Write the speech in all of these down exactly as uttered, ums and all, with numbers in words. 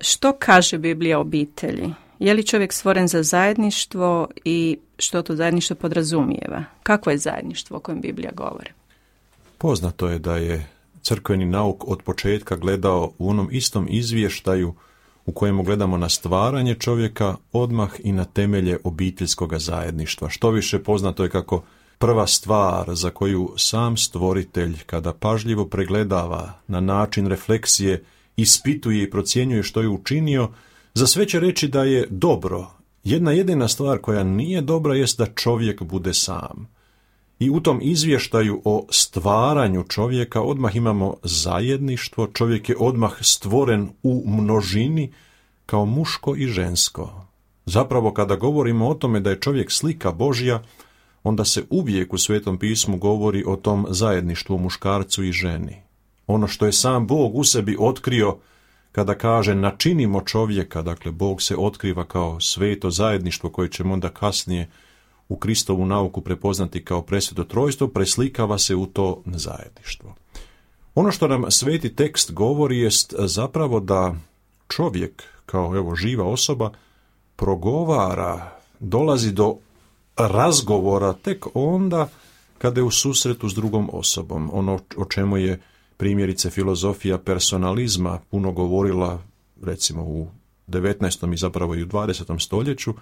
Što kaže Biblija o obitelji? Je li čovjek stvoren za zajedništvo i što to zajedništvo podrazumijeva? Kakvo je zajedništvo o kojem Biblija govori? Poznato je da je crkveni nauk od početka gledao u onom istom izvještaju u kojemu gledamo na stvaranje čovjeka, odmah i na temelje obiteljskog zajedništva. Što više, poznato je kako prva stvar za koju sam stvoritelj, kada pažljivo pregledava na način refleksije, ispituje i procjenjuje što je učinio, za sve će reći da je dobro. Jedna jedina stvar koja nije dobra jest da čovjek bude sam. I u tom izvještaju o stvaranju čovjeka odmah imamo zajedništvo, čovjek je odmah stvoren u množini kao muško i žensko. Zapravo kada govorimo o tome da je čovjek slika Božja, onda se uvijek u Svetom pismu govori o tom zajedništvu muškarcu i ženi. Ono što je sam Bog u sebi otkrio kada kaže načinimo čovjeka, dakle Bog se otkriva kao sveto zajedništvo koje ćemo onda kasnije u Kristovu nauku prepoznati kao presveto trojstvo, preslikava se u to zajedništvo. Ono što nam sveti tekst govori jest zapravo da čovjek, kao evo živa osoba, progovara, dolazi do razgovora tek onda kada je u susretu s drugom osobom. Ono o čemu je primjerice filozofija personalizma puno govorila, recimo u devetnaestom i zapravo i u dvadesetom stoljeću,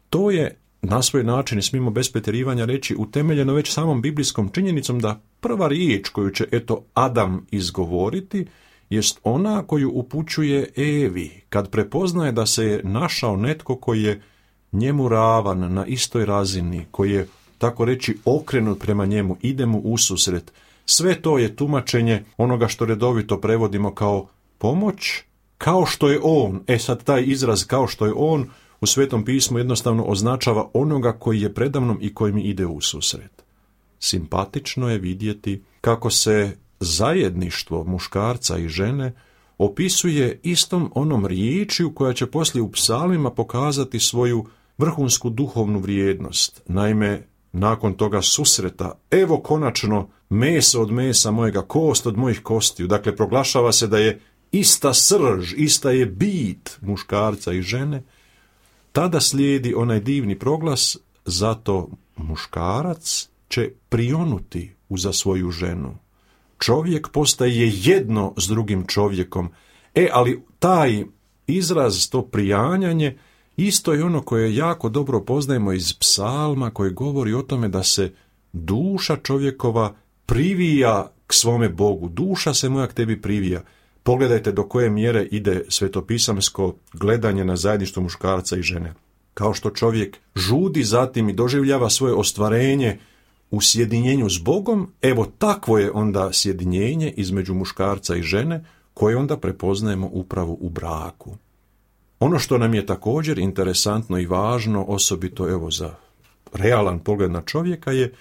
to je na svoj način, i smijemo bez pretjerivanja reći, utemeljeno već samom biblijskom činjenicom da prva riječ koju će eto Adam izgovoriti jest ona koju upućuje Evi, kad prepoznaje da se je našao netko koji je njemu ravan, na istoj razini, koji je, tako reći, okrenut prema njemu, ide mu ususret. Sve to je tumačenje onoga što redovito prevodimo kao pomoć, kao što je on. E sad taj izraz kao što je on u Svetom pismu jednostavno označava onoga koji je predamnom i koji mi ide ususret. Simpatično je vidjeti kako se zajedništvo muškarca i žene opisuje istom onom riječju koja će poslije u psalmima pokazati svoju vrhunsku duhovnu vrijednost. Naime, nakon toga susreta, evo konačno meso od mesa mojega, kost od mojih kostiju. Dakle, proglašava se da je ista srž, ista je bit muškarca i žene. Tada slijedi onaj divni proglas, zato muškarac će prionuti uza svoju ženu. Čovjek postaje jedno s drugim čovjekom. E, ali taj izraz, to prijanjanje, isto je ono koje jako dobro poznajemo iz psalma, koji govori o tome da se duša čovjekova privija k svome Bogu. Duša se moja k tebi privija. Pogledajte do koje mjere ide svetopisamsko gledanje na zajedništvo muškarca i žene. Kao što čovjek žudi zatim i doživljava svoje ostvarenje u sjedinjenju s Bogom, evo takvo je onda sjedinjenje između muškarca i žene, koje onda prepoznajemo upravo u braku. Ono što nam je također interesantno i važno, osobito evo za realan pogled na čovjeka, je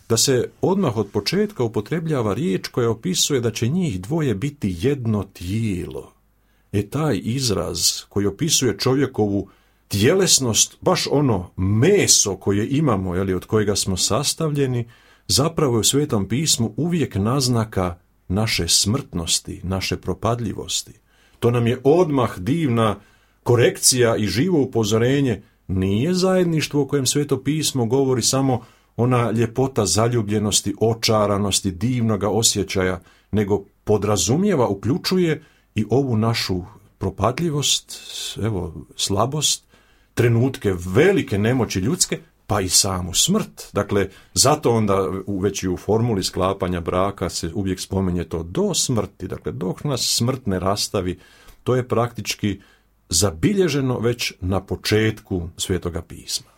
da se odmah od početka upotrebljava riječ koja opisuje da će njih dvoje biti jedno tijelo. E taj izraz koji opisuje čovjekovu tjelesnost, baš ono meso koje imamo, jeli, od kojega smo sastavljeni, zapravo je u Svetom pismu uvijek naznaka naše smrtnosti, naše propadljivosti. To nam je odmah divna korekcija i živo upozorenje. Nije zajedništvo o kojem Sveto pismo govori samo ona ljepota zaljubljenosti, očaranosti, divnoga osjećaja, nego podrazumijeva, uključuje i ovu našu propadljivost, evo, slabost, trenutke velike nemoći ljudske, pa i samu smrt. Dakle, zato onda već i u formuli sklapanja braka se uvijek spominje to do smrti, dakle, dok nas smrt ne rastavi, to je praktički zabilježeno već na početku Svetoga pisma.